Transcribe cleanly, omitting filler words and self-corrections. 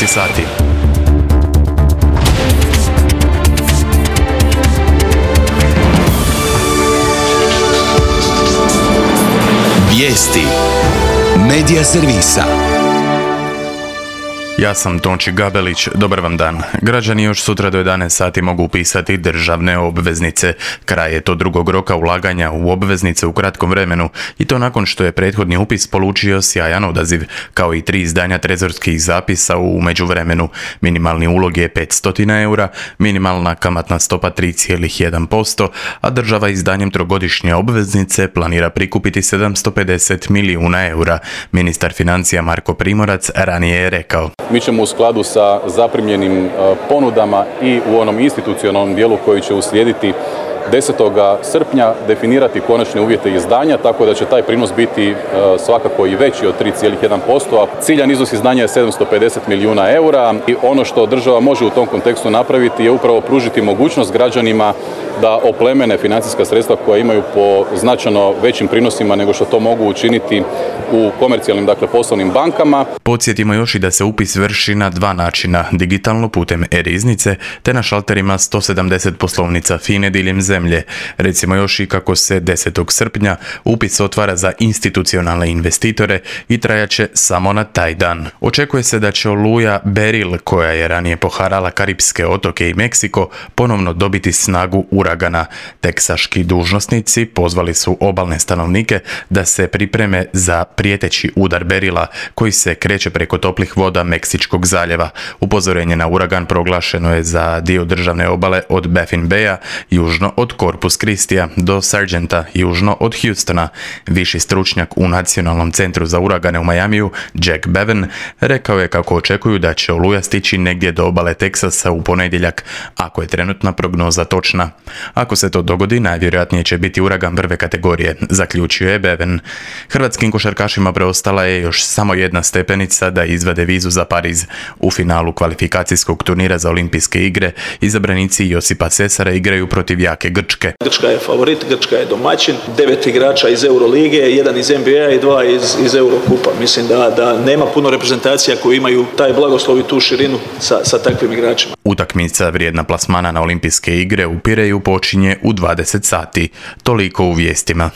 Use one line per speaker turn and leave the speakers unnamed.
11 sati.
Vijesti Medija servisa.
Ja sam Tonči Gabelić, dobar vam dan. Građani još sutra do 11 sati mogu upisati državne obveznice. Kraj je to drugog roka ulaganja u obveznice u kratkom vremenu i to nakon što je prethodni upis polučio sjajan odaziv, kao i 3 izdanja trezorskih zapisa u međuvremenu. Minimalni ulog je 500 eura, minimalna kamatna stopa 3,1%, a država izdanjem trogodišnje obveznice planira prikupiti 750 milijuna eura. Ministar financija Marko Primorac ranije je rekao:
Mi ćemo u skladu sa zaprimljenim ponudama i u onom institucionalnom dijelu koji će uslijediti 10. srpnja definirati konačne uvjete izdanja, tako da će taj prinos biti svakako i veći od 3,1%, a ciljan iznos izdanja je 750 milijuna eura. I ono što država može u tom kontekstu napraviti je upravo pružiti mogućnost građanima da oplemene financijska sredstva koja imaju po značajno većim prinosima nego što to mogu učiniti u komercijalnim, poslovnim bankama.
Podsjetimo još i da se upis vrši na 2 načina, digitalno putem e-riznice te na šalterima 170 poslovnica FINA-e diljem zemlje. Recimo još i kako se 10. srpnja upis otvara za institucionalne investitore i trajaće samo na taj dan. Očekuje se da će oluja Beryl, koja je ranije poharala Karipske otoke i Meksiko, ponovno dobiti snagu uragana. Teksaški dužnosnici pozvali su obalne stanovnike da se pripreme za prijeteći udar Beryla koji se kreće preko toplih voda Meksičkog zaljeva. Upozorenje na uragan proglašeno je za dio državne obale od Baffin Baya, južno od Corpus Christia do Sargenta, južno od Houstona. Viši stručnjak u Nacionalnom centru za uragane u Majamiju, Jack Bevan, rekao je kako očekuju da će oluja stići negdje do obale Teksasa u ponedjeljak, ako je trenutna prognoza točna. Ako se to dogodi, najvjerojatnije će biti uragan prve kategorije, zaključio je Bevan. Hrvatskim košarkašima preostala je još samo jedna stepenica da izvade vizu za Pariz. U finalu kvalifikacijskog turnira za olimpijske igre izabranici Josipa Sesara igraju protiv jake Grčke.
Grčka je favorit, Grčka je domaćin, 9 igrača iz Eurolige, 1 iz NBA i 2 iz Eurokupa. Mislim da nema puno reprezentacija koji imaju taj blagoslov i tu širinu sa takvim igračima.
Utakmica vrijedna plasmana na olimpijske igre u Pireju počinje u 20 sati. Toliko u vijestima.